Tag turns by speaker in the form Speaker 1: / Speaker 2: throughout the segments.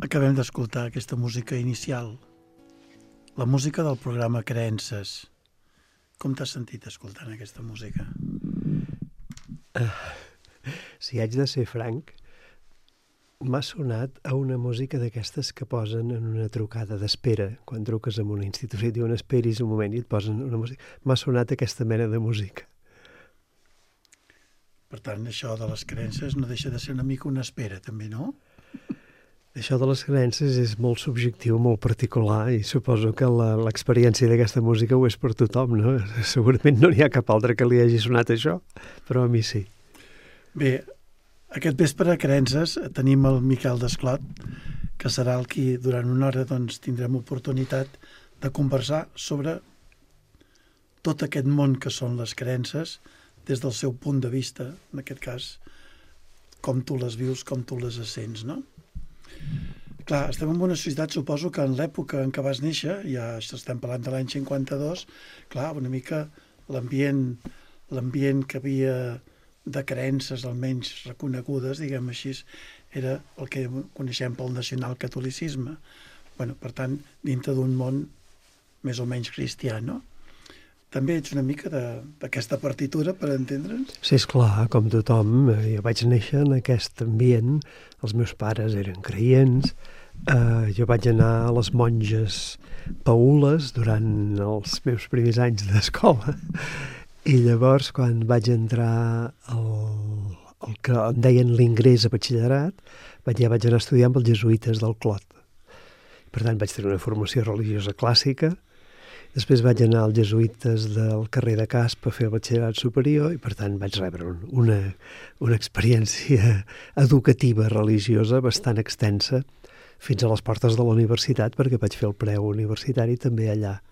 Speaker 1: Acabem d'escoltar aquesta música inicial, la música del programa Creences. Com t'has sentit escoltant aquesta música?
Speaker 2: Si haig de ser franc, m'ha sonat a una música d'aquestes que posen en una trucada d'espera. Quan truques en una institució i diuen esperis un moment i et posen una música. M'ha sonat aquesta mena de música.
Speaker 1: Per tant, això de les creences no deixa de ser una mica una espera, també, no?
Speaker 2: Això de les creences és molt subjectiu, molt particular, i suposo que l'experiència d'aquesta música ho és per tothom, no? Segurament no n'hi ha cap altre que li hagi sonat això, però a mi sí.
Speaker 1: Bé, aquest vespre a Creences tenim el Miquel Desclot, que serà el qui durant una hora doncs, tindrem oportunitat de conversar sobre tot aquest món que són les creences des del seu punt de vista, en aquest cas, com tu les vius, com tu les sents, no? Clar, estem en una societat, suposo que en l'època en què vas néixer, ja estem parlant de l'any 52, clar, una mica l'ambient que havia de creences almenys reconegudes, diguem així, era el que coneixem pel nacionalcatolicisme. Bueno, per tant, dintre d'un món més o menys cristià, no? També ets una mica d'aquesta partitura, per entendre'ns?
Speaker 2: Sí, esclar, com tothom, jo vaig néixer en aquest ambient, els meus pares eren creients, jo vaig anar a les monges paules durant els meus primers anys d'escola, i llavors, quan vaig entrar al que en deien l'ingrés a batxillerat, vaig anar a estudiar amb els jesuïtes del Clot. Per tant, vaig tenir una formació religiosa clàssica. Després vaig anar als jesuïtes del carrer de Casp a fer el batxillerat superior i, per tant, vaig rebre una experiència educativa religiosa bastant extensa fins a les portes de la universitat, perquè vaig fer el preu universitari també allà.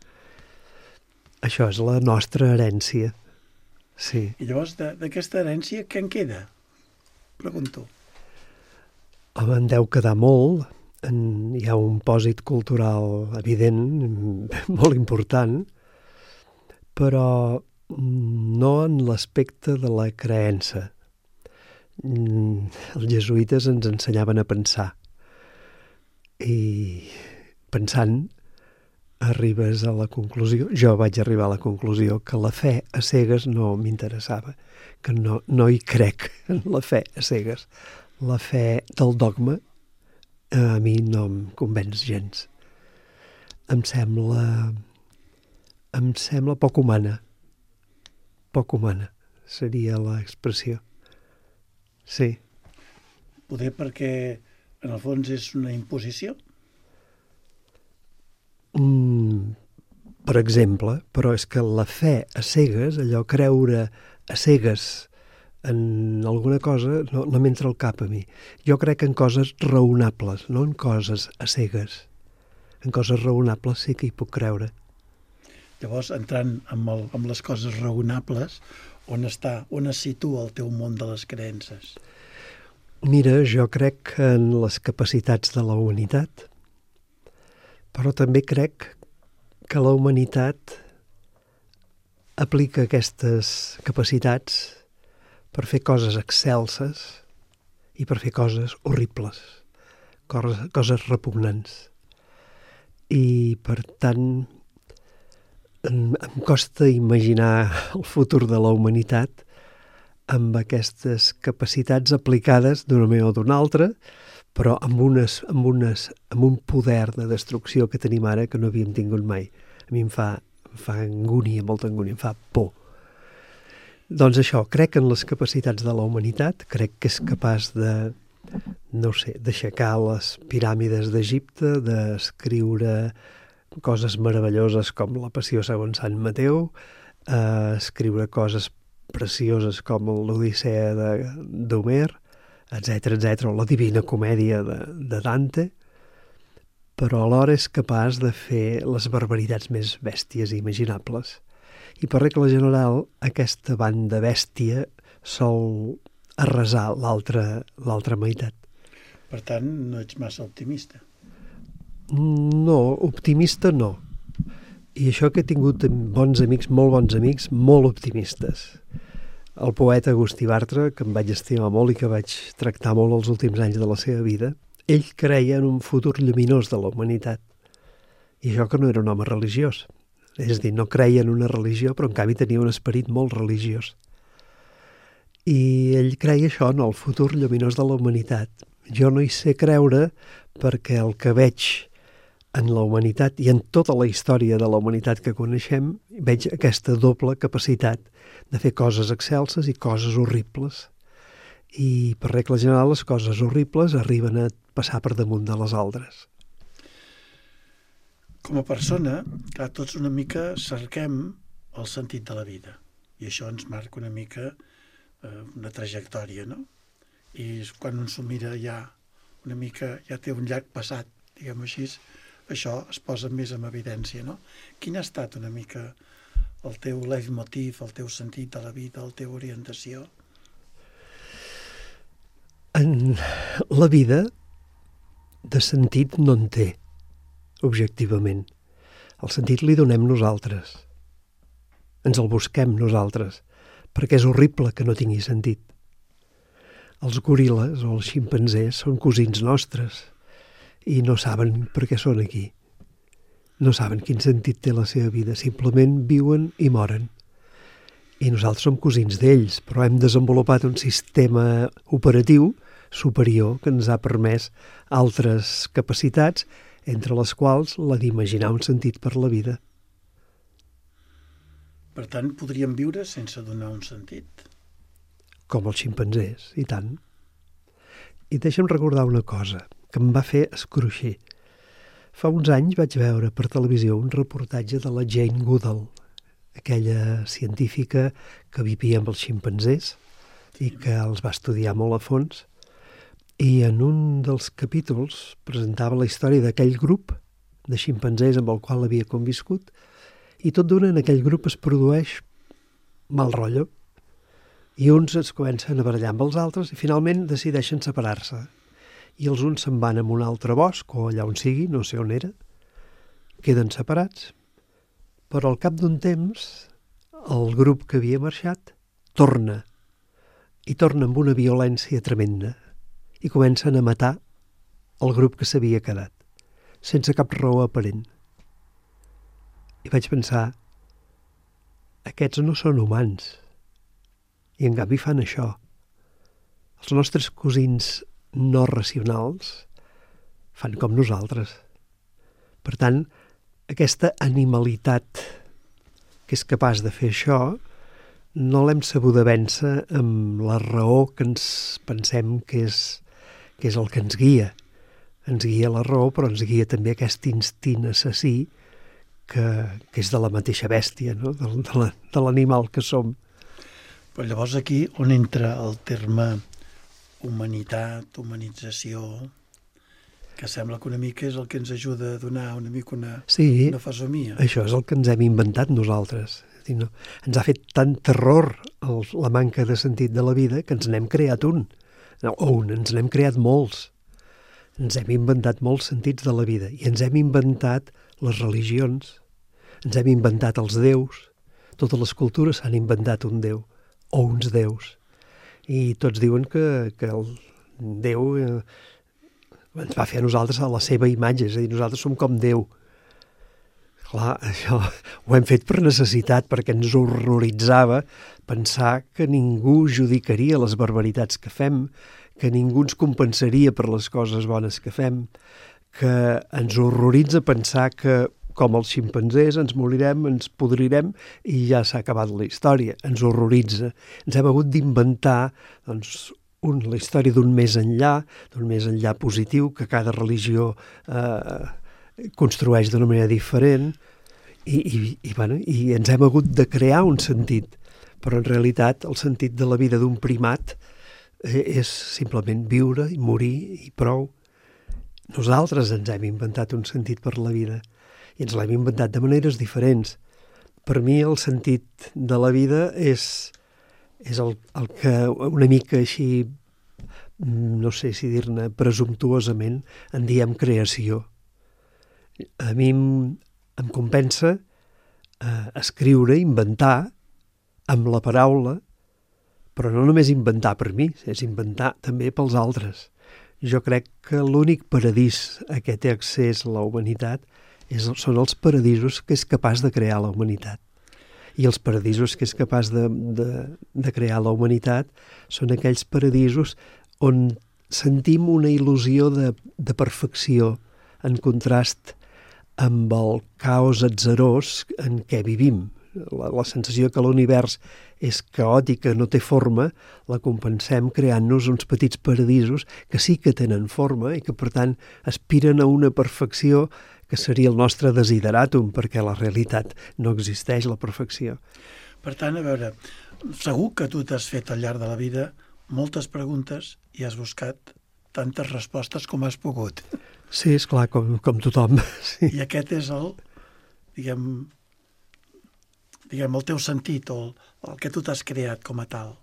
Speaker 2: Això és la nostra herència. Sí.
Speaker 1: I llavors, d'aquesta herència, què en queda? Pregunto.
Speaker 2: Home, en deu quedar molt. Hi ha un pòsit cultural evident, molt important, però no en l'aspecte de la creença. Els jesuïtes ens ensenyaven a pensar. I pensant arribes a la conclusió, jo vaig arribar a la conclusió que la fe a cegues no m'interessava, que no hi crec en la fe a cegues. La fe del dogma a mi no em convenç gens. Em sembla poc humana. Poc humana seria l'expressió. Sí.
Speaker 1: Poder perquè en el fons és una imposició?
Speaker 2: Per exemple, però és que la fe a cegues, allò creure a cegues en alguna cosa, no m'entra al cap a mi. Jo crec en coses raonables, no en coses a cegues. En coses raonables sí que hi puc creure.
Speaker 1: Llavors, entrant amb les coses raonables, on es situa el teu món de les creences?
Speaker 2: Mira, jo crec en les capacitats de la humanitat, però també crec que la humanitat aplica aquestes capacitats per fer coses excelses i per fer coses horribles, coses repugnants. I, per tant, em costa imaginar el futur de la humanitat amb aquestes capacitats aplicades d'una manera o d'una altra, però amb un poder de destrucció que tenim ara que no havíem tingut mai. A mi em fa angúnia, molta angúnia, em fa por. Doncs això, crec en les capacitats de la humanitat, crec que és capaç d'aixecar les piràmides d'Egipte, d'escriure coses meravelloses com la Passió segons Sant Mateu, escriure coses precioses com l'Odissea d'Homer, etc., o la Divina Comèdia de Dante, però alhora és capaç de fer les barbaritats més bèsties imaginables. I per regla general, aquesta banda bèstia sol arrasar l'altra meitat.
Speaker 1: Per tant, no ets massa optimista.
Speaker 2: No, optimista no. I això que he tingut bons amics, molt optimistes. el poeta Agustí Bartra, que em vaig estimar molt i que vaig tractar molt els últims anys de la seva vida, ell creia en un futur lluminós de la humanitat. I això que no era un home religiós. És a dir, no creia en una religió, però en canvi tenia un esperit molt religiós. I ell creia això, en el futur lluminós de la humanitat. Jo no hi sé creure perquè el que veig en la humanitat i en tota la història de la humanitat que coneixem, veig aquesta doble capacitat de fer coses excelses i coses horribles. I per regla general les coses horribles arriben a passar per damunt de les altres.
Speaker 1: Com a persona, clar, tots una mica cerquem el sentit de la vida i això ens marca una mica una trajectòria, no? I quan un s'ho mira ja una mica, ja té un llarg passat, diguem-ho així, això es posa més en evidència, no? Quin ha estat una mica el teu leitmotiv, el teu sentit de la vida, la teva orientació?
Speaker 2: En la vida de sentit no en té, objectivament. El sentit li donem nosaltres. Ens el busquem nosaltres, perquè és horrible que no tingui sentit. Els goril·les o els ximpanzés són cosins nostres i no saben per què són aquí. No saben quin sentit té la seva vida, simplement viuen i moren. I nosaltres som cosins d'ells, però hem desenvolupat un sistema operatiu superior que ens ha permès altres capacitats, entre les quals la d'imaginar un sentit per la vida.
Speaker 1: Per tant, podríem viure sense donar un sentit?
Speaker 2: Com els ximpanzés, i tant. I deixa'm recordar una cosa que em va fer escruixir. Fa uns anys vaig veure per televisió un reportatge de la Jane Goodall, aquella científica que vivia amb els ximpanzés i que els va estudiar molt a fons. I en un dels capítols presentava la història d'aquell grup de ximpanzés amb el qual havia conviscut i tot d'una en aquell grup es produeix mal rotllo. I uns es comencen a barallar amb els altres i finalment decideixen separar-se. I els uns se'n van a un altre bosc, o allà on sigui, no sé on era, queden separats, però al cap d'un temps el grup que havia marxat torna, i torna amb una violència tremenda, i comencen a matar el grup que s'havia quedat, sense cap raó aparent. I vaig pensar, aquests no són humans, i en canvi fan això. Els nostres cosins no racionals fan com nosaltres. Per tant, aquesta animalitat que és capaç de fer això no l'hem sabuda vèncer amb la raó que ens pensem que és el que ens guia. Ens guia la raó, però ens guia també aquest instint assassí que és de la mateixa bèstia, no? de l'animal que som.
Speaker 1: Però llavors aquí on entra el terme humanitat, humanització, que sembla que una mica és el que ens ajuda a donar una mica una fesomia.
Speaker 2: Això és el que ens hem inventat nosaltres. No? Ens ha fet tant terror la manca de sentit de la vida que ens n'hem creat ens n'hem creat molts. Ens hem inventat molts sentits de la vida i ens hem inventat les religions, ens hem inventat els déus. Totes les cultures s'han inventat un déu o uns déus. I tots diuen que el Déu ens va fer a nosaltres a la seva imatge, és a dir, nosaltres som com Déu. Clar, això ho hem fet per necessitat, perquè ens horroritzava pensar que ningú judicaria les barbaritats que fem, que ningú ens compensaria per les coses bones que fem, que ens horroritza pensar que com els ximpanzés, ens morirem, ens podrirem i ja s'ha acabat la història. Ens horroritza. Ens hem hagut d'inventar la història d'un més enllà positiu, que cada religió construeix d'una manera diferent i ens hem hagut de crear un sentit. Però en realitat el sentit de la vida d'un primat és simplement viure i morir i prou. Nosaltres ens hem inventat un sentit per la vida. I ens l'hem inventat de maneres diferents. Per mi el sentit de la vida és el que una mica així, no sé si dir-ne presumptuosament, en diem creació. A mi em compensa escriure, inventar, amb la paraula, Però no només inventar per mi, és inventar també pels altres. Jo crec que l'únic paradís a què té accés la humanitat són els paradisos que és capaç de crear la humanitat. I els paradisos que és capaç de crear la humanitat són aquells paradisos on sentim una il·lusió de perfecció en contrast amb el caos atzerós en què vivim. La sensació que l'univers és caòtic, que no té forma, la compensem creant-nos uns petits paradisos que sí que tenen forma i que, per tant, aspiren a una perfecció que seria el nostre desideratum, perquè la realitat no existeix, la perfecció.
Speaker 1: Per tant, a veure, segur que tu t'has fet al llarg de la vida moltes preguntes i has buscat tantes respostes com has pogut.
Speaker 2: Sí, esclar, com tothom. Sí.
Speaker 1: I aquest és el, diguem, el teu sentit o el que tu t'has creat com a tal,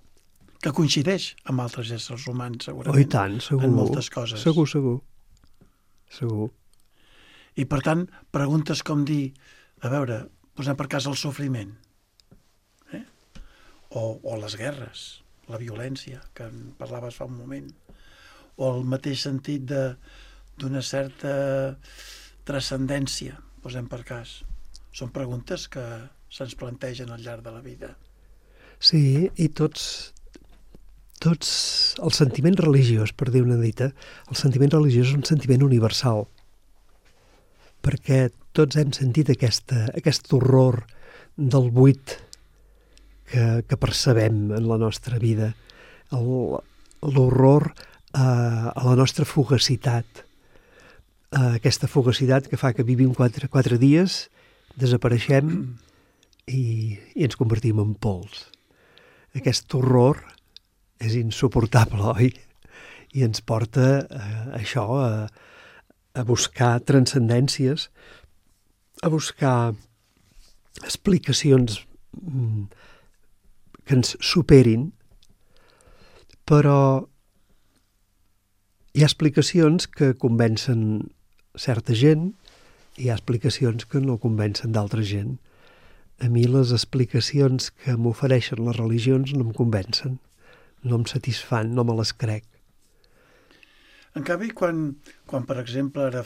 Speaker 1: que coincideix amb altres éssers humans, segurament.
Speaker 2: Oh, i tant, segur.
Speaker 1: En moltes coses.
Speaker 2: Segur.
Speaker 1: I, per tant, preguntes com dir, a veure, posem per cas el sofriment, o les guerres, la violència, que en parlaves fa un moment, o el mateix sentit d'una certa transcendència, posem per cas. Són preguntes que se'ns plantegen al llarg de la vida.
Speaker 2: Sí, i tots el sentiment religiós, per dir una dita, el sentiment religiós és un sentiment universal, perquè tots hem sentit aquest horror del buit que percebem en la nostra vida, l'horror a la nostra fugacitat, aquesta fugacitat que fa que vivim 4 dies, desapareixem i ens convertim en pols. Aquest horror és insuportable, oi? I ens porta a buscar transcendències, a buscar explicacions que ens superin, però hi ha explicacions que convencen certa gent i hi ha explicacions que no convencen d'altra gent. A mi les explicacions que m'ofereixen les religions no em convencen, no em satisfan, no me les crec.
Speaker 1: En canvi, quan per exemple, ara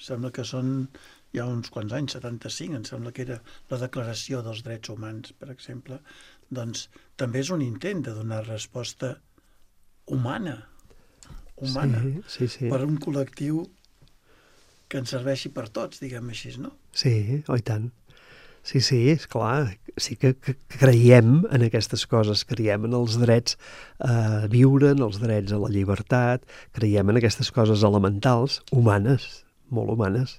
Speaker 1: sembla que són ja uns quants anys, 75, em sembla que era la Declaració dels Drets Humans, per exemple, doncs també és un intent de donar resposta humana,
Speaker 2: sí.
Speaker 1: Per un col·lectiu que ens serveixi per tots, diguem així, no?
Speaker 2: Sí, oh, i tant. Sí, és clar, sí que creiem en aquestes coses, creiem en els drets a viure, en els drets a la llibertat, creiem en aquestes coses elementals, humanes, molt humanes.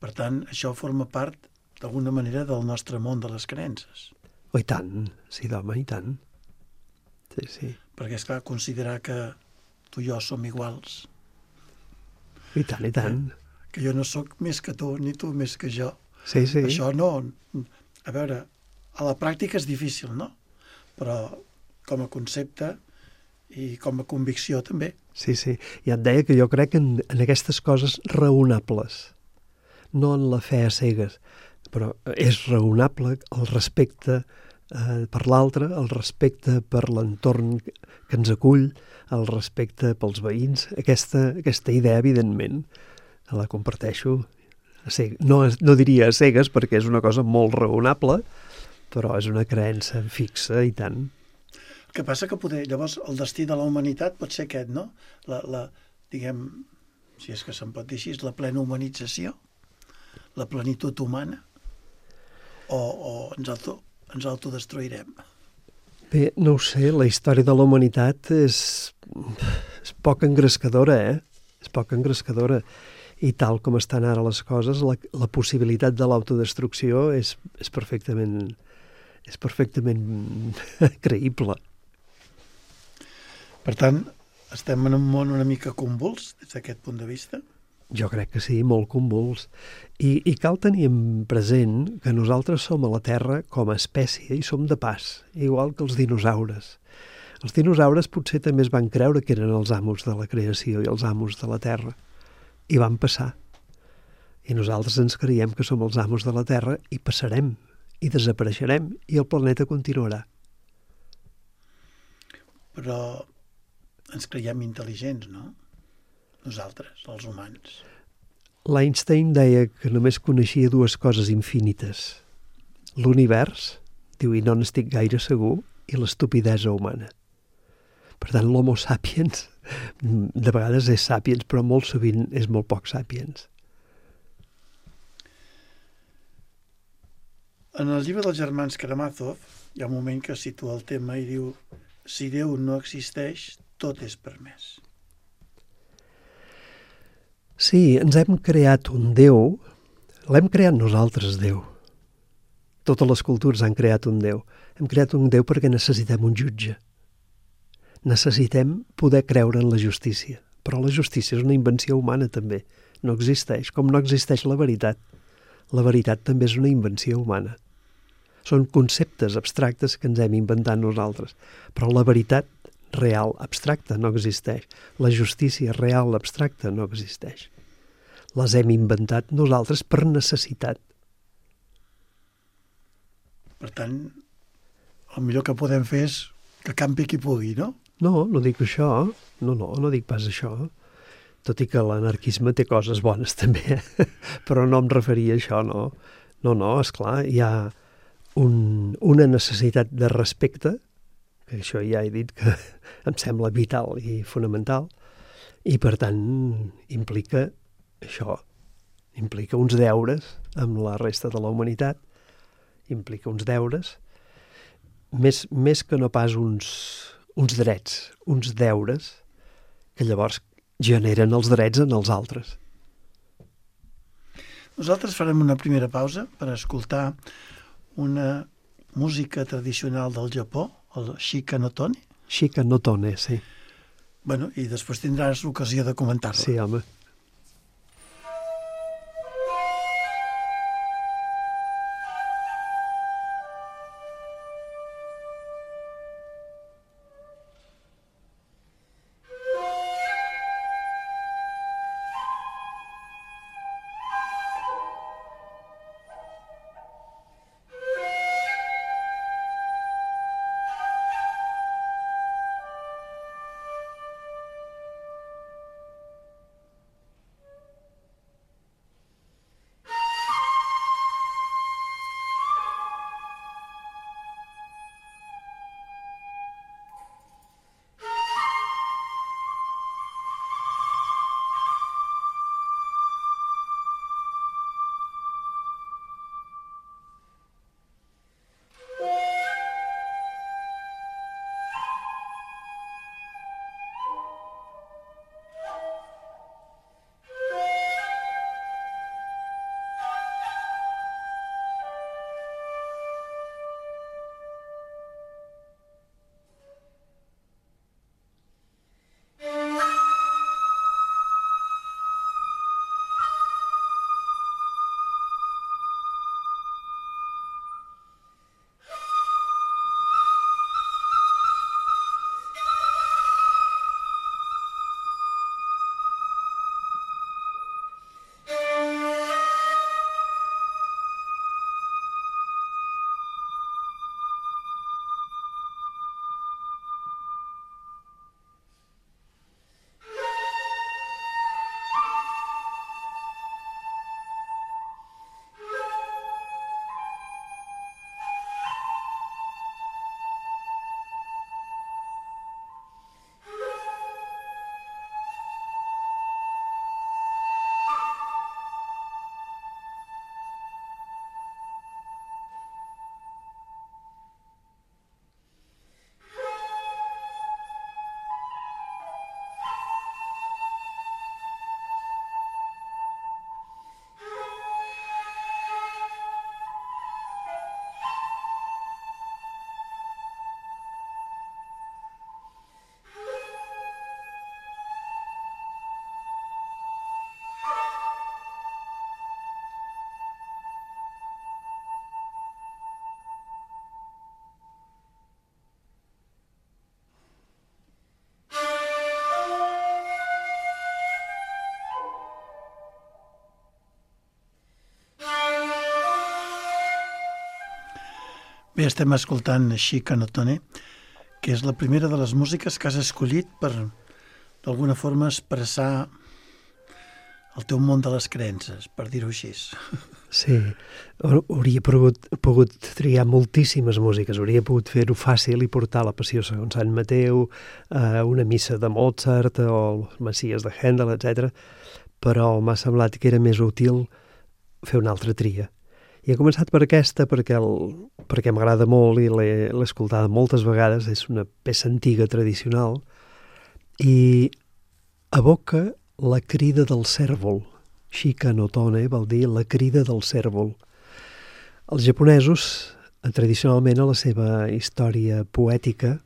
Speaker 1: Per tant, això forma part, d'alguna manera, del nostre món de les creences.
Speaker 2: Oh, i tant, sí, d'home, i tant. Sí.
Speaker 1: Perquè, esclar, considerar que tu i jo som iguals.
Speaker 2: I tant.
Speaker 1: Que jo no sóc més que tu, ni tu més que jo.
Speaker 2: Sí.
Speaker 1: Això no... A veure, a la pràctica és difícil, no? Però com a concepte i com a convicció també.
Speaker 2: Sí. Ja et deia que jo crec en aquestes coses raonables, no en la fe a cegues, però és raonable el respecte per l'altre, el respecte per l'entorn que ens acull, el respecte pels veïns. Aquesta idea, evidentment, la comparteixo. No diria a cegues perquè és una cosa molt raonable, però és una creença fixa i tant.
Speaker 1: El que passa que llavors el destí de la humanitat pot ser aquest, no? Diguem, si és que se'n pot dir així, la plena humanització, la plenitud humana, o ens autodestruirem?
Speaker 2: Bé, no ho sé, la història de la humanitat és poc engrescadora, És poc engrescadora. I tal com estan ara les coses, la possibilitat de l'autodestrucció és perfectament creïble.
Speaker 1: Per tant, estem en un món una mica convuls des d'aquest punt de vista?
Speaker 2: Jo crec que sí, molt convuls. I cal tenir present que nosaltres som a la Terra com a espècie i som de pas, igual que els dinosaures. Els dinosaures potser també es van creure que eren els amos de la creació i els amos de la Terra. I van passar. I nosaltres ens creiem que som els amos de la Terra i passarem, i desapareixerem, i el planeta continuarà.
Speaker 1: però ens creiem intel·ligents, no? Nosaltres, els humans.
Speaker 2: L'Einstein deia que només coneixia dues coses infinites. L'univers, diu, i no n'estic gaire segur, i l'estupidesa humana. Per tant, l'homo sapiens de vegades és sapiens, però molt sovint és molt poc sapiens.
Speaker 1: En el llibre dels germans Karamazov hi ha un moment que situa el tema i diu: si Déu no existeix, tot és permès.
Speaker 2: Sí, ens hem creat un Déu, l'hem creat nosaltres, Déu. Totes les cultures han creat un Déu. Hem creat un Déu perquè necessitem un jutge. Necessitem poder creure en la justícia. Però la justícia és una invenció humana, també. No existeix, com no existeix la veritat. La veritat també és una invenció humana. Són conceptes abstractes que ens hem inventat nosaltres. Però la veritat real abstracta no existeix. La justícia real abstracta no existeix. Les hem inventat nosaltres per necessitat.
Speaker 1: Per tant, el millor que podem fer és que campi qui pugui, no?
Speaker 2: No, no dic això. No dic pas això. Tot i que l'anarquisme té coses bones també, però no em referia a això, no. No, esclar, hi ha una necessitat de respecte, que això ja he dit que em sembla vital i fonamental, i per tant implica això, implica uns deures amb la resta de la humanitat, implica uns deures, més que no pas uns drets, uns deures, que llavors generen els drets en els altres.
Speaker 1: Nosaltres farem una primera pausa per escoltar una música tradicional del Japó, el Shika no Tone.
Speaker 2: Shika no Tone, sí.
Speaker 1: Bueno, i després tindràs l'ocasió de comentar-la.
Speaker 2: Sí, home.
Speaker 1: Bé, estem escoltant Shika no Tone, que és la primera de les músiques que has escollit per, d'alguna forma, expressar el teu món de les creences, per dir-ho així.
Speaker 2: Sí, hauria pogut triar moltíssimes músiques, hauria pogut fer-ho fàcil i portar la Passió segons Sant Mateu, una missa de Mozart o els Messies de Händel, etc. Però m'ha semblat que era més útil fer una altra tria. I he començat per aquesta perquè m'agrada molt i l'he escoltada moltes vegades, és una peça antiga, tradicional, i evoca la crida del cèrvol. Shika no Tone vol dir la crida del cèrvol. Els japonesos, tradicionalment a la seva història poètica,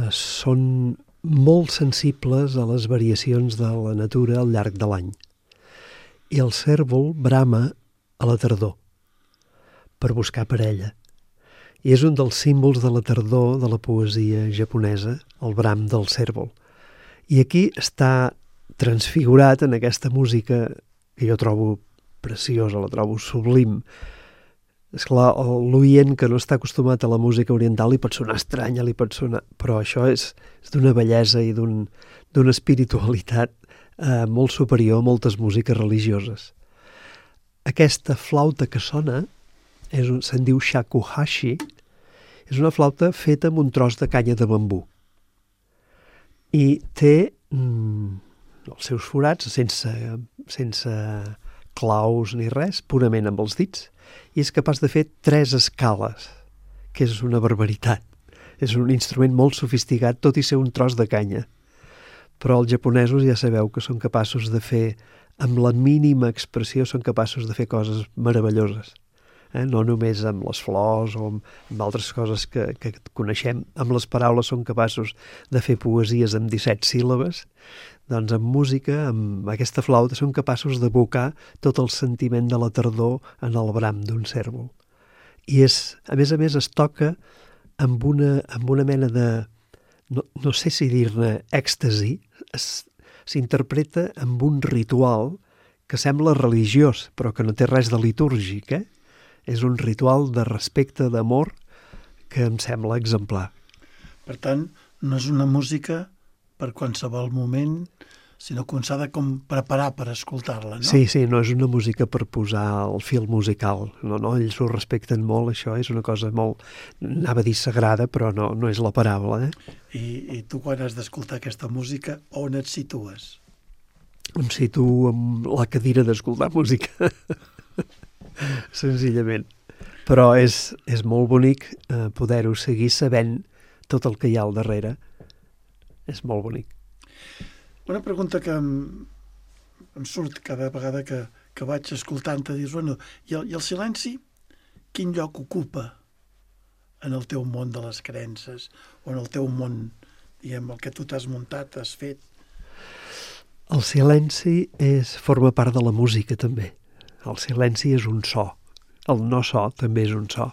Speaker 2: són molt sensibles a les variacions de la natura al llarg de l'any. I el cèrvol brama a la tardor per buscar parella. I és un dels símbols de la tardor de la poesia japonesa, el bram del cèrvol. I aquí està transfigurat en aquesta música que jo trobo preciosa, la trobo sublim. Esclar, l'oient que no està acostumat a la música oriental li pot sonar estranya, però això és d'una bellesa i d'una espiritualitat molt superior a moltes músiques religioses. Aquesta flauta que sona se'n diu shakuhachi, és una flauta feta amb un tros de canya de bambú. I té els seus forats sense claus ni res, purament amb els dits, i és capaç de fer 3 escales, que és una barbaritat. És un instrument molt sofisticat, tot i ser un tros de canya. Però els japonesos ja sabeu que són capaços de fer, amb la mínima expressió, són capaços de fer coses meravelloses. No només amb les flors o amb altres coses que coneixem, amb les paraules són capaços de fer poesies amb 17 síl·labes, doncs amb música, amb aquesta flauta, són capaços d'evocar tot el sentiment de la tardor en el bram d'un cèrvol. I a més, es toca amb una mena de, no sé si dir-ne èxtasi, s'interpreta amb un ritual que sembla religiós, però que no té res de litúrgic, És un ritual de respecte, d'amor, que em sembla exemplar.
Speaker 1: Per tant, no és una música per qualsevol moment, sinó que s'ha de preparar per escoltar-la, no?
Speaker 2: Sí, no és una música per posar el fil musical. No, ells ho respecten molt, això és una cosa molt, anava a dir sagrada, però no és la paraula.
Speaker 1: I tu, quan has d'escoltar aquesta música, on et situes?
Speaker 2: Em situo en la cadira d'escoltar música. Senzillament. Però és molt bonic poder-ho seguir sabent tot el que hi ha al darrere. És molt bonic.
Speaker 1: Una pregunta que em surt cada vegada que vaig escoltant-te, dius, i el silenci quin lloc ocupa en el teu món de les creences o en el teu món, diguem, el que tu t'has muntat, has fet?
Speaker 2: El silenci forma part de la música, també. El silenci és un so. El no so també és un so.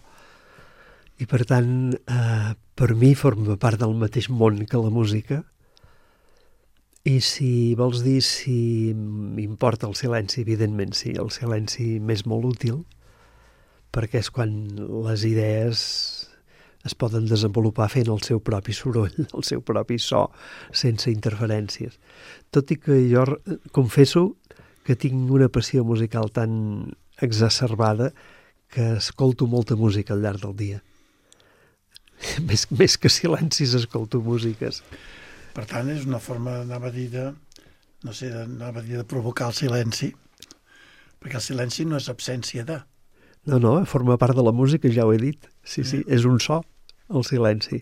Speaker 2: I per tant, per mi forma part del mateix món que la música. I si vols dir si m'importa el silenci, evidentment sí, el silenci m'és molt útil, perquè és quan les idees es poden desenvolupar fent el seu propi soroll, el seu propi so, sense interferències. Tot i que jo confesso que tinc una passió musical tan exacerbada que escolto molta música al llarg del dia. Més que silencis escolto músiques.
Speaker 1: Per tant, és una forma, anava a dir de provocar el silenci, perquè el silenci no és absència de.
Speaker 2: No, forma part de la música, ja ho he dit. Sí, és un so, el silenci.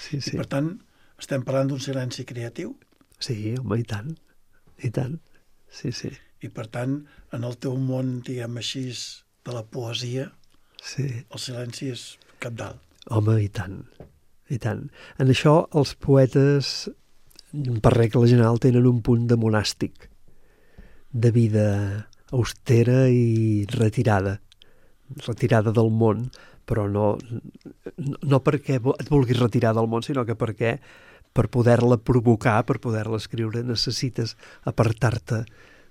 Speaker 2: Sí.
Speaker 1: I per tant, estem parlant d'un silenci creatiu?
Speaker 2: Sí, home, i tant. Sí.
Speaker 1: I per tant, en el teu món, diguem així, de la poesia, el silenci és cabdal.
Speaker 2: Home, i tant. En això els poetes, per regla general, tenen un punt de monàstic, de vida austera i retirada del món, però no perquè et vulguis retirar del món, sinó que perquè per poder-la provocar, per poder-la escriure, necessites apartar-te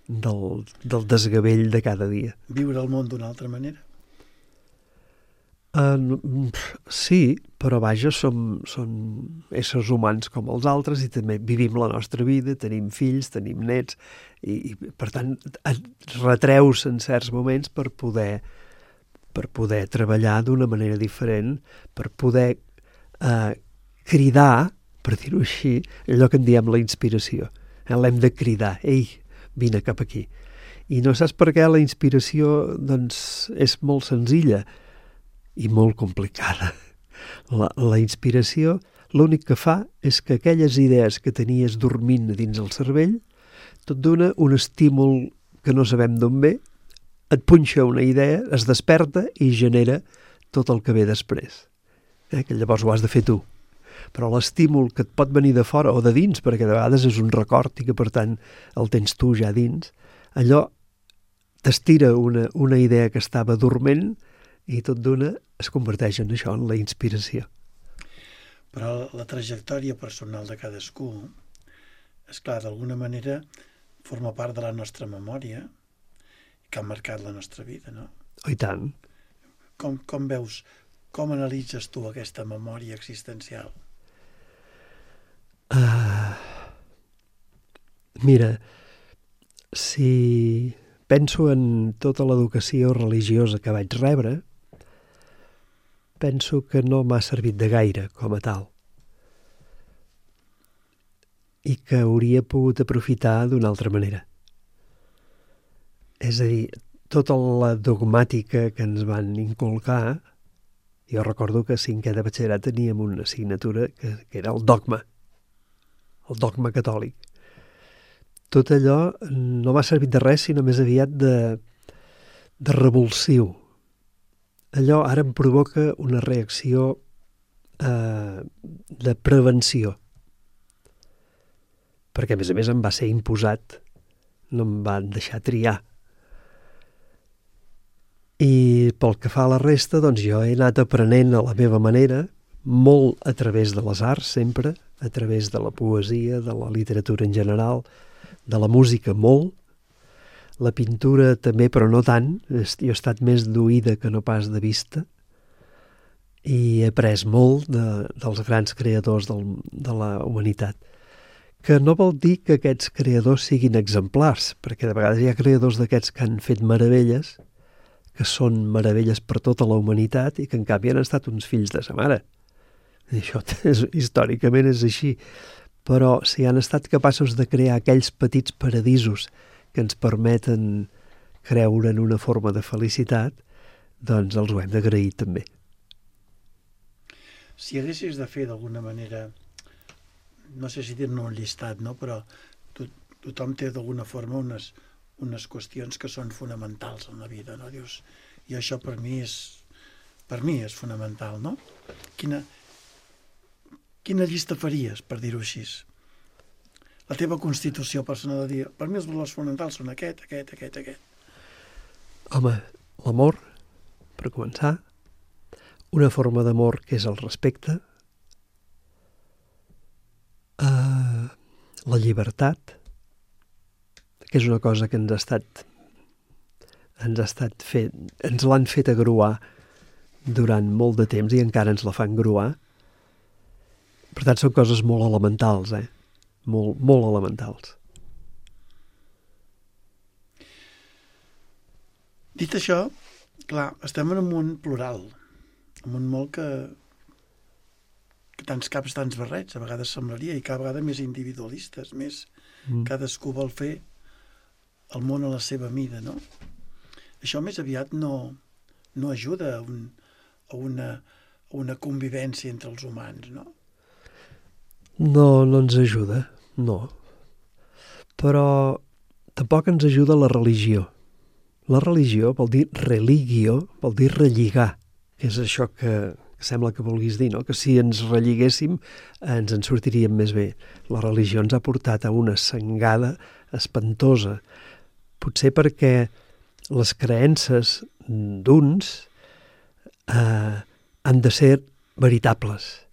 Speaker 2: del desgavell de cada dia.
Speaker 1: Viure el món d'una altra manera?
Speaker 2: Sí, però vaja, som éssers humans com els altres i també vivim la nostra vida, tenim fills, tenim nets, i per tant et retreus en certs moments per poder treballar d'una manera diferent, per poder cridar, per dir-ho així, allò que en diem la inspiració. L'hem de cridar, ei, vine cap aquí. I no saps per què la inspiració doncs, és molt senzilla i molt complicada. La inspiració l'únic que fa és que aquelles idees que tenies dormint dins el cervell tot dona un estímul que no sabem d'on ve, et punxa una idea, es desperta i genera tot el que ve després. Que llavors ho has de fer tu. Però l'estímul que et pot venir de fora o de dins, perquè de vegades és un record i que per tant el tens tu ja dins, allò t'estira una idea que estava dorment i tot d'una es converteix en això, en la inspiració.
Speaker 1: Però la trajectòria personal de cadascú, és clar, d'alguna manera forma part de la nostra memòria que ha marcat la nostra vida, no?
Speaker 2: Oh, i tant.
Speaker 1: Com veus, com analitzes tu aquesta memòria existencial?
Speaker 2: Mira, si penso en tota l'educació religiosa que vaig rebre, penso que no m'ha servit de gaire com a tal i que hauria pogut aprofitar d'una altra manera. És a dir, tota la dogmàtica que ens van inculcar, jo recordo que a 5è de batxillerat teníem una assignatura que era el dogma catòlic. Tot allò no m'ha servit de res, sinó més aviat de revulsiu. Allò ara em provoca una reacció de prevenció. Perquè, a més, em va ser imposat, no em van deixar triar. I pel que fa a la resta, doncs jo he anat aprenent a la meva manera, molt a través de les arts, sempre, a través de la poesia, de la literatura en general, de la música molt, la pintura també, però no tant. Jo he estat més d'oïda que no pas de vista, i he après molt dels grans creadors de la humanitat. Que no vol dir que aquests creadors siguin exemplars, perquè de vegades hi ha creadors d'aquests que han fet meravelles, que són meravelles per tota la humanitat i que en canvi han estat uns fills de sa mare. I això històricament és així. Però si han estat capaços de crear aquells petits paradisos que ens permeten creure en una forma de felicitat, doncs els ho hem d'agrair també.
Speaker 1: Si haguessis de fer d'alguna manera, no sé si dir-ne un llistat, no? Però tothom té d'alguna forma unes qüestions que són fonamentals en la vida, no? Dius, i això per mi és fonamental, no? Quina llista faries, per dir-ho així? La teva constitució personal de dir, per mi els valors fonamentals són aquest.
Speaker 2: Home, l'amor, per començar, una forma d'amor que és el respecte, la llibertat, que és una cosa que ens l'han fet agruar durant molt de temps i encara ens la fan gruar. Per tant, són coses molt elementals, molt, molt elementals.
Speaker 1: Dit això, clar, estem en un món plural, en un món que tants caps, tants barrets, a vegades semblaria, i cada vegada més individualistes, més cadascú vol fer el món a la seva mida, no? Això més aviat no ajuda a una convivència entre els humans, no?
Speaker 2: No ens ajuda, no. Però tampoc ens ajuda la religió. La religió vol dir religio, vol dir relligar, que és això que sembla que vulguis dir, no? Que si ens relligéssim ens en sortiríem més bé. La religió ens ha portat a una sangada espantosa, potser perquè les creences d'uns han de ser veritables,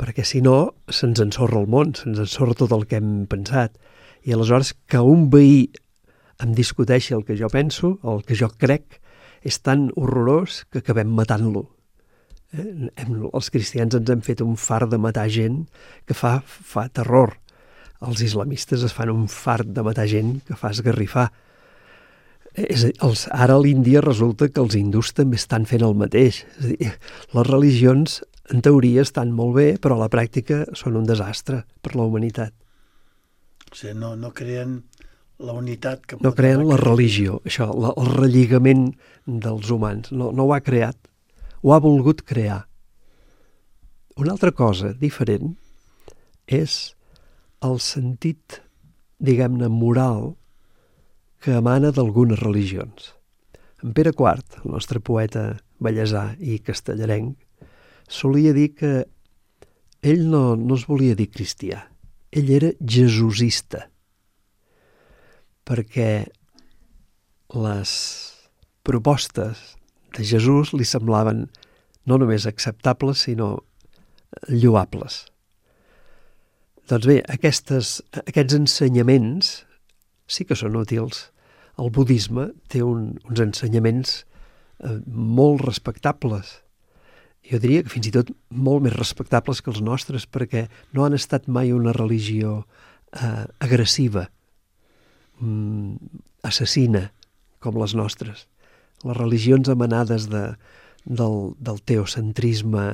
Speaker 2: perquè si no se'ns ensorra el món, se'ns ensorra tot el que hem pensat. I aleshores que un veí em discuteixi el que jo penso, el que jo crec, és tan horrorós que acabem matant-lo. Els cristians ens hem fet un fart de matar gent que fa terror. Els islamistes es fan un fart de matar gent que fa esgarrifar. Ara a l'Índia resulta que els hindús també estan fent el mateix. És a dir, les religions, en teoria, estan molt bé, però a la pràctica són un desastre per la humanitat.
Speaker 1: O sigui, no creen la unitat que...
Speaker 2: No creen la religió, això, el relligament dels humans. No ho ha creat, ho ha volgut crear. Una altra cosa diferent és el sentit, diguem-ne, moral que emana d'algunes religions. En Pere IV, el nostre poeta ballesà i castellarenc, solia dir que ell no es volia dir cristià, ell era jesusista, perquè les propostes de Jesús li semblaven no només acceptables, sinó lloables. Doncs bé, aquests ensenyaments sí que són útils. El budisme té uns ensenyaments molt respectables. Jo diria que fins i tot molt més respectables que els nostres, perquè no han estat mai una religió agressiva, assassina, com les nostres. Les religions emanades del teocentrisme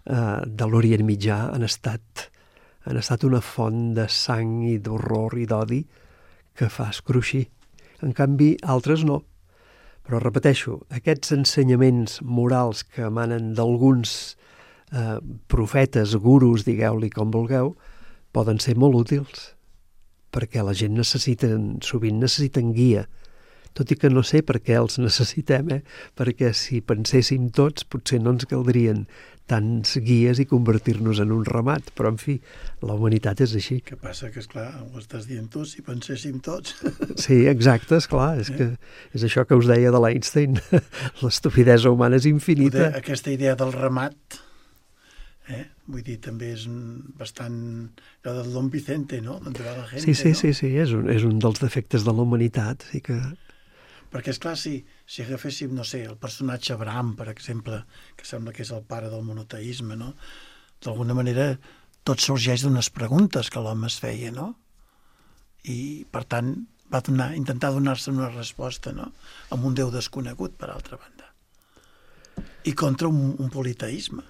Speaker 2: de l'Orient Mitjà han estat una font de sang i d'horror i d'odi que fa escruixir. En canvi, altres no. Però repeteixo, aquests ensenyaments morals que emanen d'alguns profetes, gurus, digueu-li com vulgueu, poden ser molt útils, perquè la gent sovint necessiten guia, tot i que no sé per què els necessitem, perquè si penséssim tots potser no ens caldrien tants guies i convertir-nos en un ramat, però en fi, la humanitat és així.
Speaker 1: Què passa? Que esclar, ho estàs dient tu, si penséssim tots.
Speaker 2: Sí, exacte, esclar, és això que us deia de l'Einstein, l'estupidesa humana és infinita.
Speaker 1: Aquesta idea del ramat, vull dir, també és bastant... allò del Don Vicente, no? Donde va la gente,
Speaker 2: sí, és un dels defectes de la humanitat, sí que...
Speaker 1: Perquè, esclar, si agaféssim, no sé, el personatge Abraham, per exemple, que sembla que és el pare del monoteisme, no? D'alguna manera, tot sorgeix d'unes preguntes que l'home es feia, no? I, per tant, va intentar donar-se una resposta, no? Amb un Déu desconegut, per altra banda. I contra un politeisme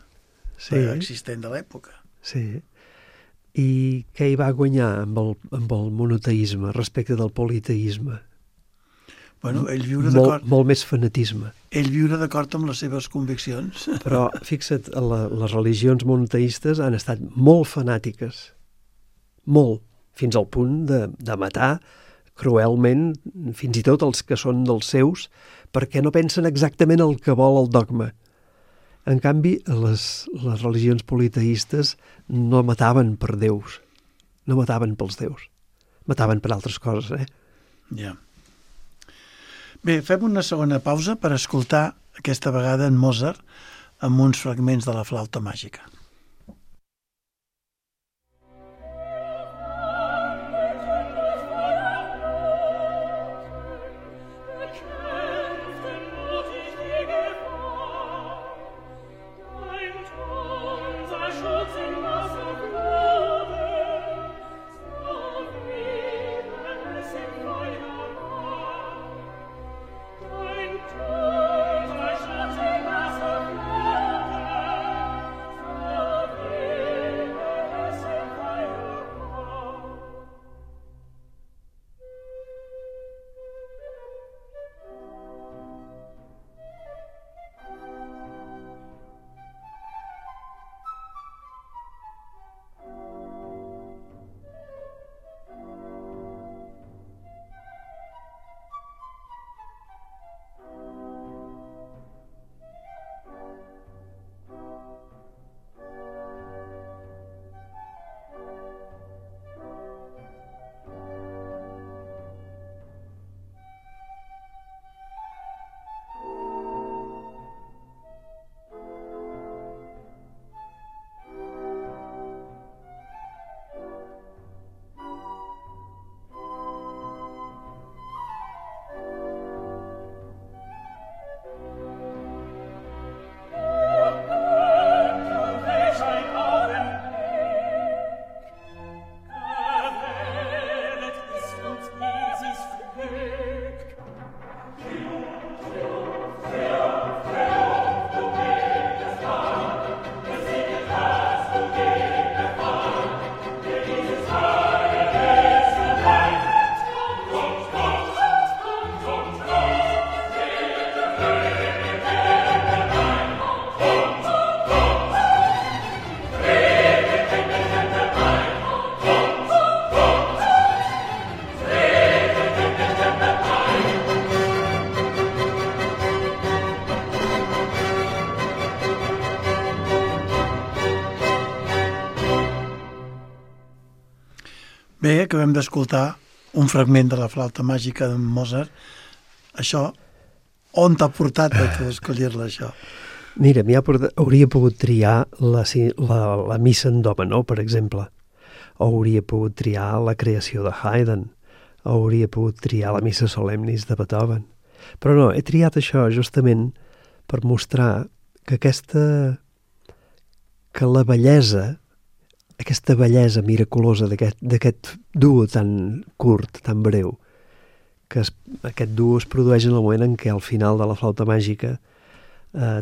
Speaker 1: existent de l'època.
Speaker 2: Sí. I què hi va guanyar amb el monoteisme respecte del politeisme?
Speaker 1: Bueno, ell viure d'acord...
Speaker 2: Molt més fanatisme.
Speaker 1: Ell viure d'acord amb les seves conviccions.
Speaker 2: Però, fixa't, les religions monoteistes han estat molt fanàtiques. Molt. Fins al punt de matar cruelment, fins i tot els que són dels seus, perquè no pensen exactament el que vol el dogma. En canvi, les religions politeistes no mataven per déus. No mataven pels déus. Mataven per altres coses,
Speaker 1: Ja. Bé, fem una segona pausa per escoltar aquesta vegada en Mozart amb uns fragments de la flauta màgica.
Speaker 3: Dein
Speaker 1: Bé, acabem d'escoltar un fragment de la flauta màgica de Mozart. Això, on t'ha portat a tu escollir-la, això?
Speaker 2: Mira, hauria pogut triar la missa en do menor, per exemple, o hauria pogut triar la creació de Haydn, o hauria pogut triar la missa solemnis de Beethoven. Però no, he triat això justament per mostrar que la bellesa, aquesta bellesa miraculosa d'aquest duo tan curt, tan breu, que aquest duo es produeix en el moment en què al final de la flauta màgica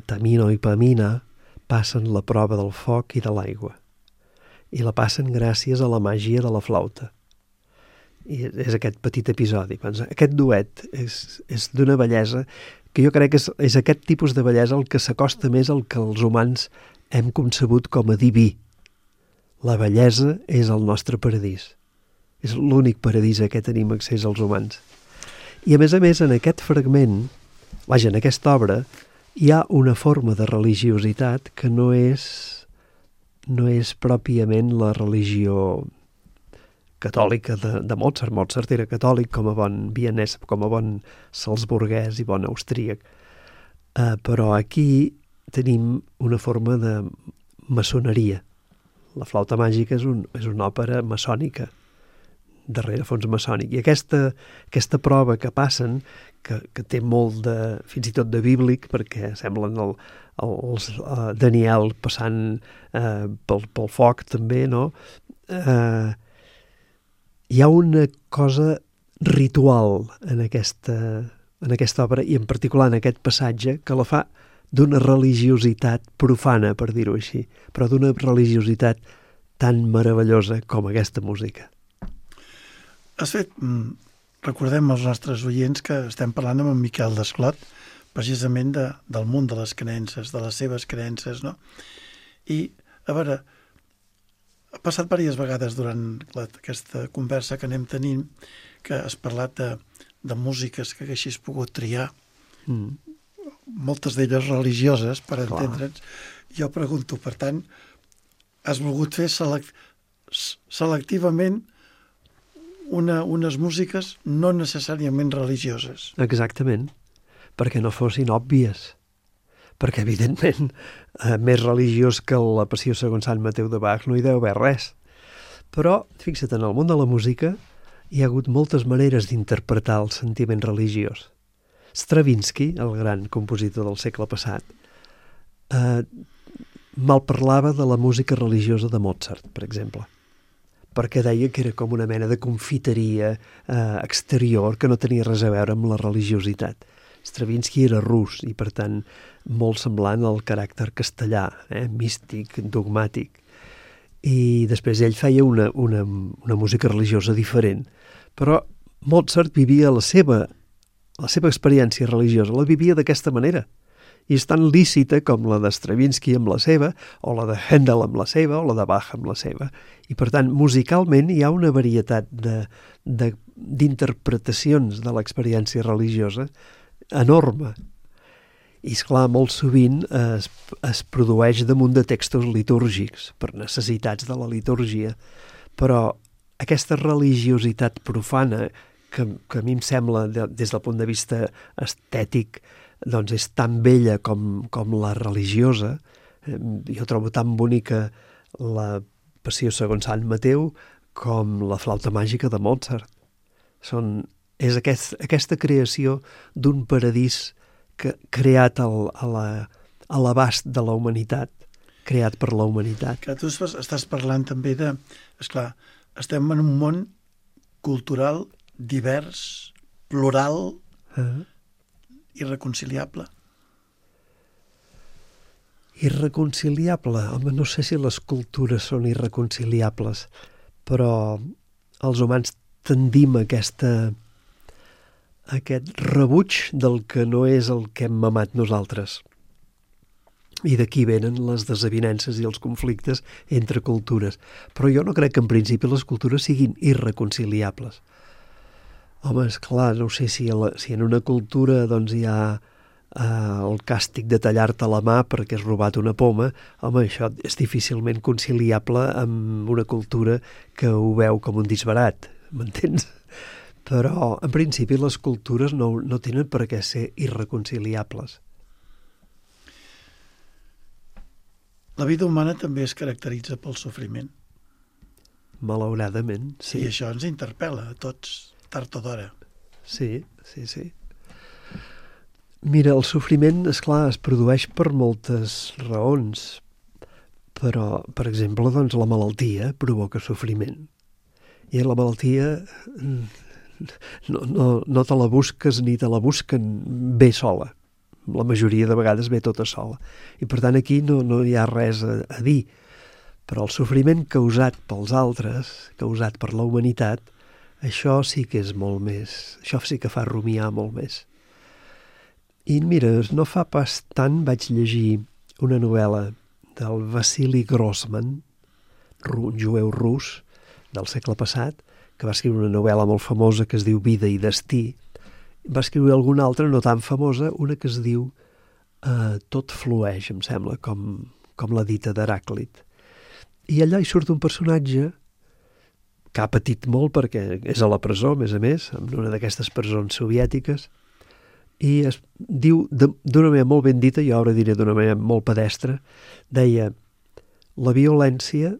Speaker 2: Tamino i Pamina passen la prova del foc i de l'aigua. I la passen gràcies a la màgia de la flauta. I és aquest petit episodi. Aquest duet és d'una bellesa que jo crec que és aquest tipus de bellesa el que s'acosta més al que els humans hem concebut com a diví. La bellesa és el nostre paradís. És l'únic paradís a què tenim accés els humans. I a més, en aquest fragment, en aquesta obra, hi ha una forma de religiositat que no és pròpiament la religió catòlica de Mozart. Mozart era catòlic com a bon vienès, com a bon salzburguès i bon austríac. Però aquí tenim una forma de maçoneria. La flauta màgica és una òpera maçònica, darrere fons maçònic. I aquesta prova que passen, que té molt fins i tot de bíblic, perquè semblen els Daniel passant pel foc també, no? Hi ha una cosa ritual en aquesta obra, i en particular en aquest passatge, que la fa d'una religiositat profana, per dir-ho així, però d'una religiositat tan meravellosa com aquesta música.
Speaker 1: Recordem als nostres oients que estem parlant amb en Miquel Desclot, precisament del món de les creences, de les seves creences, no? I, a veure, ha passat diverses vegades durant aquesta conversa que anem tenint que has parlat de músiques que haguessis pogut triar, moltes d'elles religioses, per entendre'ns. Jo pregunto, per tant, has volgut fer selectivament unes músiques no necessàriament religioses.
Speaker 2: Exactament, perquè no fossin òbvies. Perquè, evidentment, més religiós que la Passió segons Sant Mateu de Bach no hi deu haver res. Però, fixa't, en el món de la música hi ha hagut moltes maneres d'interpretar el sentiment religiós. Stravinsky, el gran compositor del segle passat, malparlava de la música religiosa de Mozart, per exemple, perquè deia que era com una mena de confiteria exterior que no tenia res a veure amb la religiositat. Stravinsky era rus i, per tant, molt semblant al caràcter castellà, místic, dogmàtic. I després ell feia una música religiosa diferent. Però Mozart vivia la seva experiència religiosa, la vivia d'aquesta manera. I és tan lícita com la de Stravinsky amb la seva, o la de Handel amb la seva, o la de Bach amb la seva. I, per tant, musicalment hi ha una varietat d'interpretacions de l'experiència religiosa enorme. I, esclar, molt sovint es produeix damunt de textos litúrgics, per necessitats de la litúrgia. Però aquesta religiositat profana, que a mi em sembla, des del punt de vista estètic, doncs és tan bella com la religiosa. Jo trobo tan bonica la Passió segons Sant Mateu com la flauta màgica de Mozart. És aquesta creació d'un paradís creat a l'abast de la humanitat, creat per la humanitat.
Speaker 1: Que tu estàs parlant també esclar, estem en un món cultural divers, plural, irreconciliable.
Speaker 2: Irreconciliable? Home, no sé si les cultures són irreconciliables, però els humans tendim a aquest rebuig del que no és el que hem mamat nosaltres. I d'aquí venen les desavinences i els conflictes entre cultures. Però jo no crec que en principi les cultures siguin irreconciliables. Home, esclar, no sé si en una cultura doncs, hi ha el càstig de tallar-te la mà perquè has robat una poma, home, això és difícilment conciliable amb una cultura que ho veu com un disbarat, m'entens? Però, en principi, les cultures no tenen per què ser irreconciliables.
Speaker 1: La vida humana també es caracteritza pel sofriment.
Speaker 2: Malauradament, sí.
Speaker 1: I això ens interpel·la a tots, tard o d'hora.
Speaker 2: Sí. Mira, el sofriment, esclar, es produeix per moltes raons, però, per exemple, doncs, la malaltia provoca sofriment. I la malaltia no te la busques ni te la busquen bé sola. La majoria de vegades ve tota sola. I, per tant, aquí no hi ha res a dir. Però el sofriment causat pels altres, causat per la humanitat, això sí que és molt més. Això sí que fa rumiar molt més. I mira, no fa pas tant vaig llegir una novel·la del Vassili Grossman, un jueu rus del segle passat, que va escriure una novel·la molt famosa que es diu Vida i destí. Va escriure alguna altra no tan famosa, una que es diu Tot flueix, em sembla, com la dita d'Heràclit. I allà hi surt un personatge que ha patit molt perquè és a la presó, a més, en una d'aquestes presons soviètiques, i es diu d'una manera molt ben dita, jo ara diré d'una manera molt pedestre, deia: la violència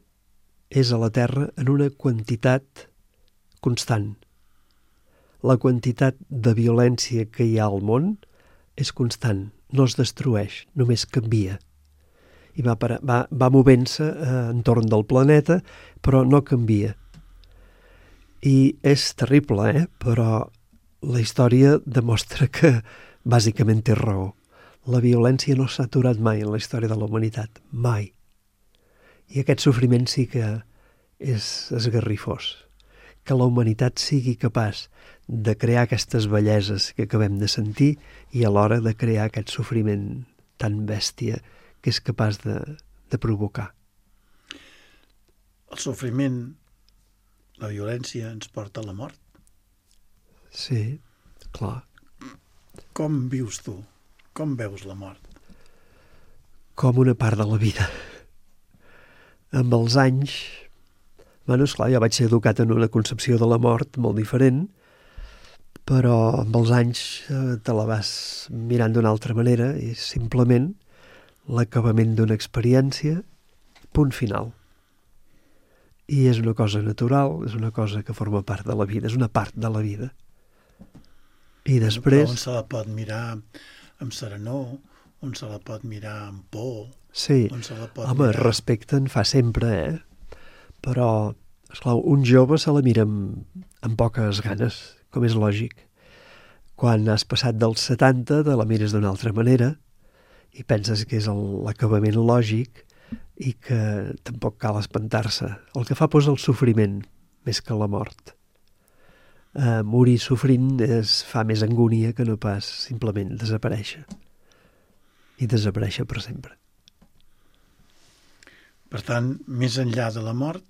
Speaker 2: és a la Terra en una quantitat constant. La quantitat de violència que hi ha al món és constant, no es destrueix, només canvia. I va movent-se entorn del planeta, però no canvia. I és terrible, però la història demostra que bàsicament té raó. La violència no s'ha aturat mai en la història de la humanitat, mai. I aquest sofriment sí que és esgarrifós. Que la humanitat sigui capaç de crear aquestes belleses que acabem de sentir i alhora de crear aquest sofriment tan bèstia que és capaç de provocar.
Speaker 1: El sofriment, la violència ens porta a la mort.
Speaker 2: Sí, clar.
Speaker 1: Com vius tu? Com veus la mort?
Speaker 2: Com una part de la vida. Amb els anys... esclar, jo vaig ser educat en una concepció de la mort molt diferent, però amb els anys te la vas mirant d'una altra manera i simplement l'acabament d'una experiència, punt final. I és una cosa natural, és una cosa que forma part de la vida, és una part de la vida. I després...
Speaker 1: Però on se la pot mirar amb serenor, on se la pot mirar amb por...
Speaker 2: Sí, home, respecte en fa sempre, Però, esclar, un jove se la mira amb poques ganes, com és lògic. Quan has passat dels 70, te la mires d'una altra manera i penses que és l'acabament lògic i que tampoc cal espantar-se. El que fa por és el sofriment, més que la mort. Morir sofrint fa més angúnia que no pas simplement desaparèixer. I desaparèixer per sempre.
Speaker 1: Per tant, més enllà de la mort,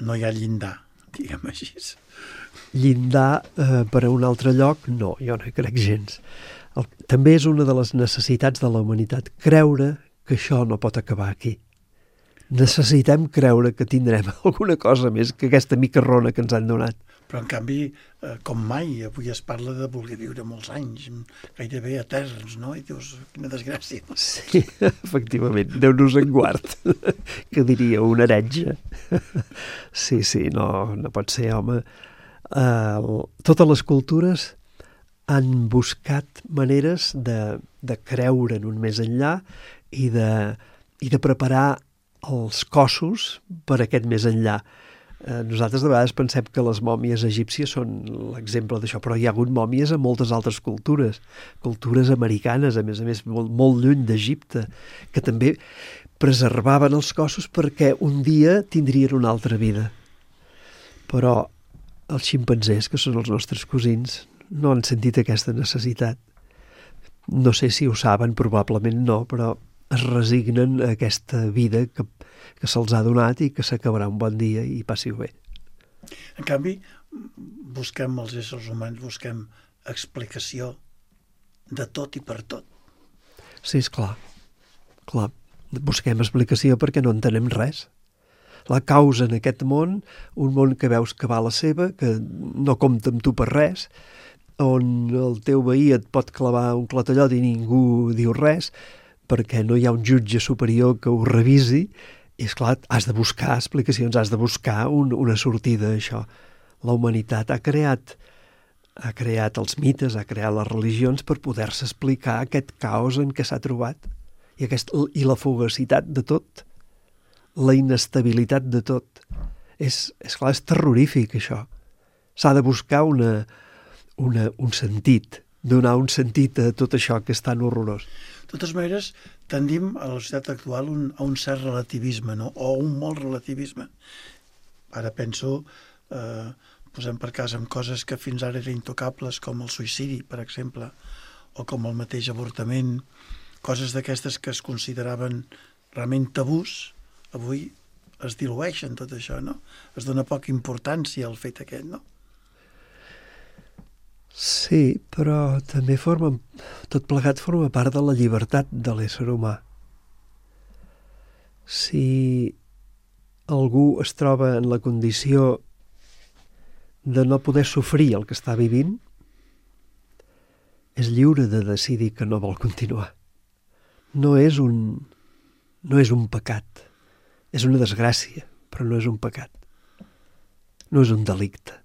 Speaker 1: no hi ha llindar, diguem així.
Speaker 2: Llindar per a un altre lloc, no, jo no hi crec gens. També és una de les necessitats de la humanitat, creure que això no pot acabar aquí. Necessitem creure que tindrem alguna cosa més que aquesta micarrona que ens han donat.
Speaker 1: Però, en canvi, com mai, avui es parla de voler viure molts anys, gairebé eterns, no? I dius, quina desgràcia.
Speaker 2: Sí, efectivament, Déu-nos en guard, que diria un heretge. Sí, no pot ser, home. Totes les cultures han buscat maneres de creure en un més enllà i de preparar els cossos per aquest més enllà. Nosaltres de vegades pensem que les mòmies egípcies són l'exemple d'això, però hi ha hagut mòmies a moltes altres cultures americanes, a més, molt lluny d'Egipte, que també preservaven els cossos perquè un dia tindrien una altra vida. Però els ximpanzés, que són els nostres cosins, no han sentit aquesta necessitat. No sé si ho saben, probablement no, però es resignen a aquesta vida que se'ls ha donat i que s'acabarà un bon dia i passi-ho bé.
Speaker 1: En canvi, els éssers humans busquem explicació de tot i per tot.
Speaker 2: Sí, esclar. Clar, busquem explicació perquè no entenem res. La causa en aquest món, un món que veus que va a la seva, que no compta amb tu per res, on el teu veí et pot clavar un clatellot i ningú diu res, perquè no hi ha un jutge superior que ho revisi, i esclar, has de buscar explicacions, has de buscar una sortida a això. La humanitat ha creat els mites, ha creat les religions per poder-se explicar aquest caos en què s'ha trobat i la fugacitat de tot, la inestabilitat de tot. És clar, és terrorífic això. S'ha de buscar un sentit, donar un sentit a tot això que és tan horrorós.
Speaker 1: De totes maneres, tendim a la societat actual a un cert relativisme, no? O un molt relativisme. Ara penso, posem per cas amb coses que fins ara eren intocables, com el suïcidi, per exemple, o com el mateix avortament, coses d'aquestes que es consideraven realment tabús, avui es dilueixen tot això, no? Es dona poca importància al fet aquest, no?
Speaker 2: Sí, però també tot plegat forma part de la llibertat de l'ésser humà. Si algú es troba en la condició de no poder sofrir el que està vivint, és lliure de decidir que no vol continuar. No és un pecat. És una desgràcia, però no és un pecat. No és un delicte.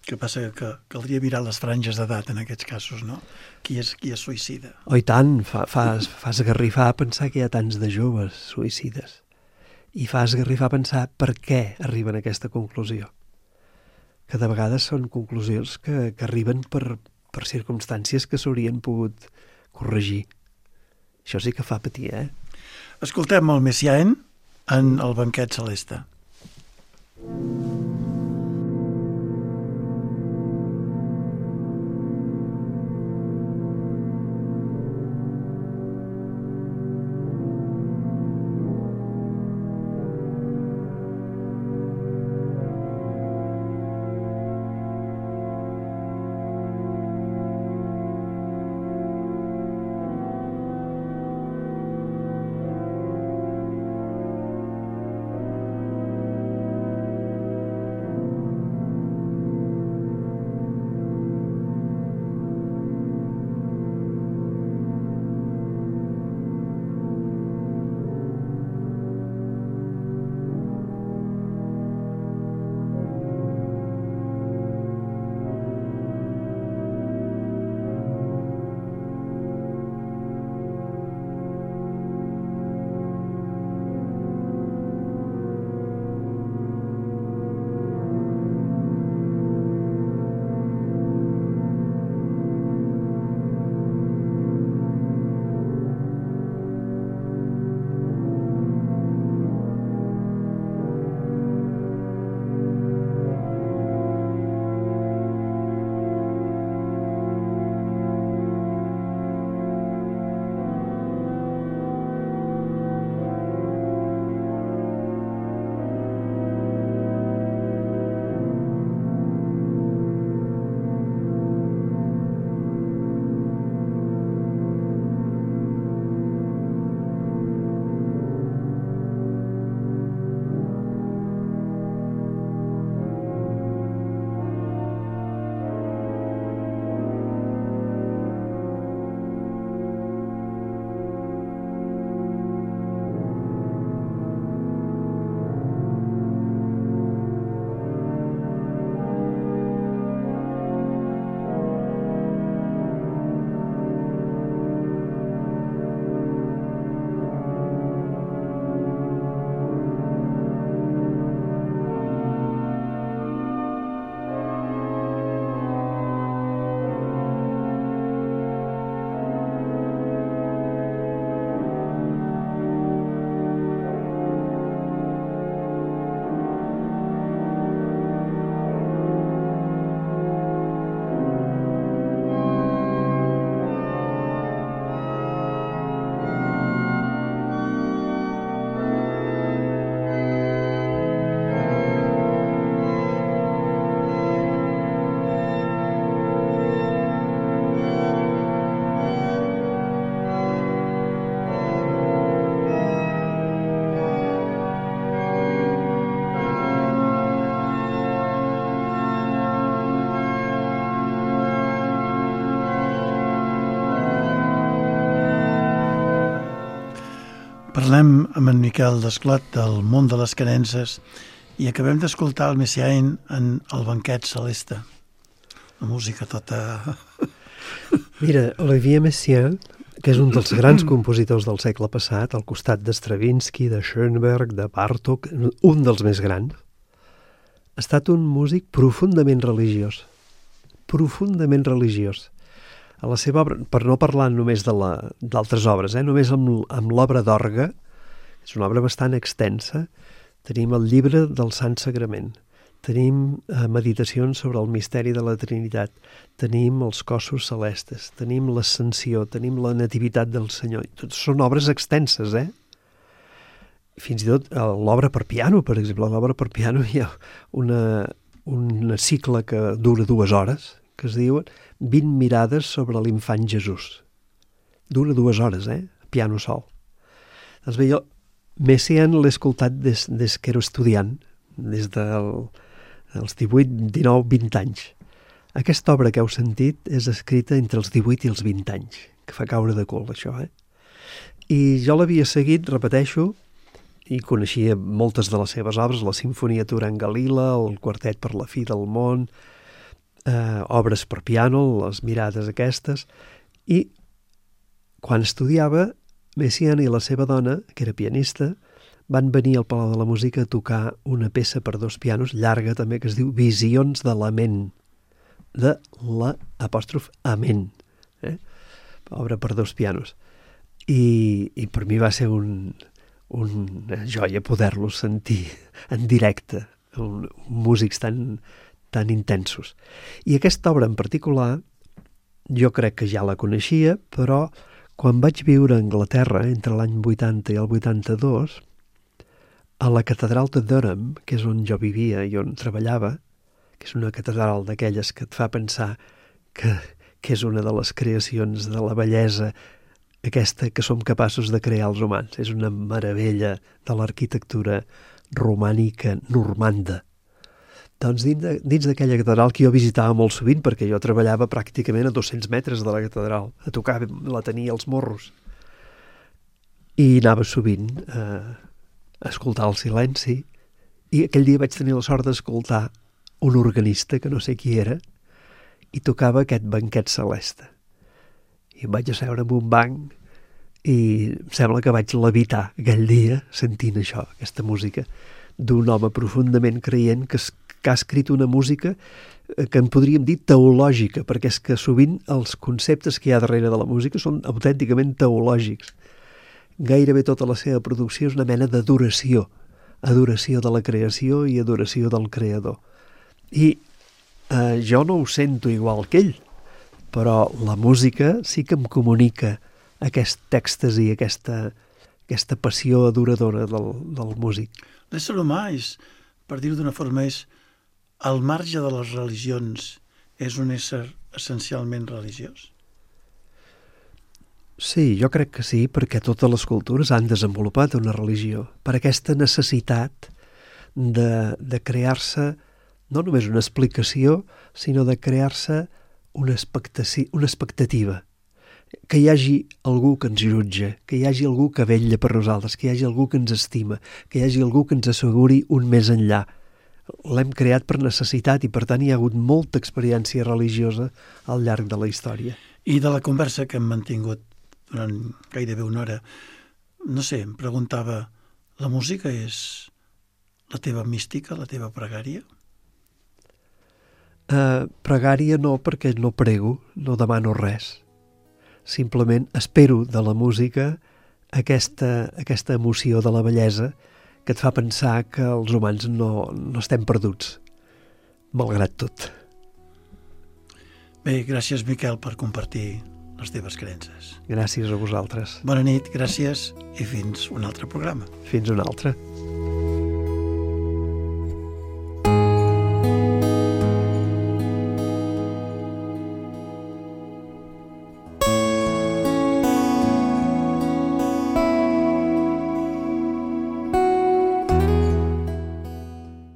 Speaker 1: El que passa que caldria mirar les franges d'edat en aquests casos, no? Qui es suïcida?
Speaker 2: Oh, i tant, fa esgarrifar pensar que hi ha tants de joves suïcides. I fa esgarrifar pensar per què arriben a aquesta conclusió. Que de vegades són conclusions que arriben per circumstàncies que s'haurien pogut corregir. Això sí que fa patir, eh?
Speaker 1: Escoltem el Messiaen en el banquet celeste. Parlem amb en Miquel Desclot del món de les creences i acabem d'escoltar el Messiaen en El banquet celeste. La música tota...
Speaker 2: Mira, Olivier Messiaen, que és un dels grans compositors del segle passat, al costat de Stravinsky, de Schoenberg, de Bartók, un dels més grans, ha estat un músic profundament religiós. Profundament religiós. A la seva obra, per no parlar només d'altres obres, només amb l'obra d'orgue, és una obra bastant extensa, tenim el llibre del Sant Sagrament, tenim meditacions sobre el misteri de la Trinitat, tenim els cossos celestes, tenim l'ascensió, tenim la nativitat del Senyor. Són obres extenses, Fins i tot l'obra per piano, per exemple. A l'obra per piano hi ha un cicle que dura 2 hores, que es diuen 20 mirades sobre l'infant Jesús. Dura 2 hores, piano sol. Doncs bé, jo Messiaen l'he escoltat des que era estudiant, des dels 18, 19, 20 anys. Aquesta obra que heu sentit és escrita entre els 18 i els 20 anys, que fa caure de cul, això, I jo l'havia seguit, repeteixo, i coneixia moltes de les seves obres, la Sinfonia Turangalila, el Quartet per la fi del món, obres per piano, les mirades aquestes, i quan estudiava, Messiaen i la seva dona, que era pianista, van venir al Palau de la Música a tocar una peça per 2 pianos, llarga també, que es diu Visions de la ment, de l'apòstrof Amen, obra per 2 pianos. I per mi va ser una joia poder-los sentir en directe, músics tan intensos. I aquesta obra en particular, jo crec que ja la coneixia, però quan vaig viure a Anglaterra entre l'any 80 i el 82, a la catedral de Durham, que és on jo vivia i on treballava, que és una catedral d'aquelles que et fa pensar que és una de les creacions de la bellesa aquesta que som capaços de crear els humans. És una meravella de l'arquitectura romànica normanda. Doncs dins d'aquella catedral que jo visitava molt sovint, perquè jo treballava pràcticament a 200 metres de la catedral, a tocar, la tenia als morros. I anava sovint a escoltar el silenci, i aquell dia vaig tenir la sort d'escoltar un organista, que no sé qui era, i tocava aquest banquet celeste. I em vaig asseure en un banc i em sembla que vaig levitar aquell dia sentint això, aquesta música, d'un home profundament creient que ha escrit una música que en podríem dir teològica, perquè és que sovint els conceptes que hi ha darrere de la música són autènticament teològics. Gairebé tota la seva producció és una mena d'adoració, adoració de la creació i adoració del creador. I jo no ho sento igual que ell, però la música sí que em comunica aquest èxtasi, aquesta passió adoradora del músic.
Speaker 1: L'ésser humà és, per dir-ho d'una forma, és al marge de les religions, és un ésser essencialment religiós?
Speaker 2: Sí, jo crec que sí, perquè totes les cultures han desenvolupat una religió, per aquesta necessitat de crear-se no només una explicació, sinó de crear-se una expectativa, que hi hagi algú que ens jutja, que hi hagi algú que vetlla per nosaltres, que hi hagi algú que ens estima, que hi hagi algú que ens asseguri un més enllà. L'hem creat per necessitat i, per tant, hi ha hagut molta experiència religiosa al llarg de la història.
Speaker 1: I de la conversa que hem mantingut durant gairebé una hora, no sé, em preguntava, la música és la teva mística, la teva pregària?
Speaker 2: Pregària no, perquè no prego, no demano res. Simplement espero de la música aquesta emoció de la bellesa que et fa pensar que els humans no estem perduts, malgrat tot.
Speaker 1: Bé, gràcies, Miquel, per compartir les teves creences.
Speaker 2: Gràcies a vosaltres.
Speaker 1: Bona nit, gràcies i fins un altre programa.
Speaker 2: Fins un altre.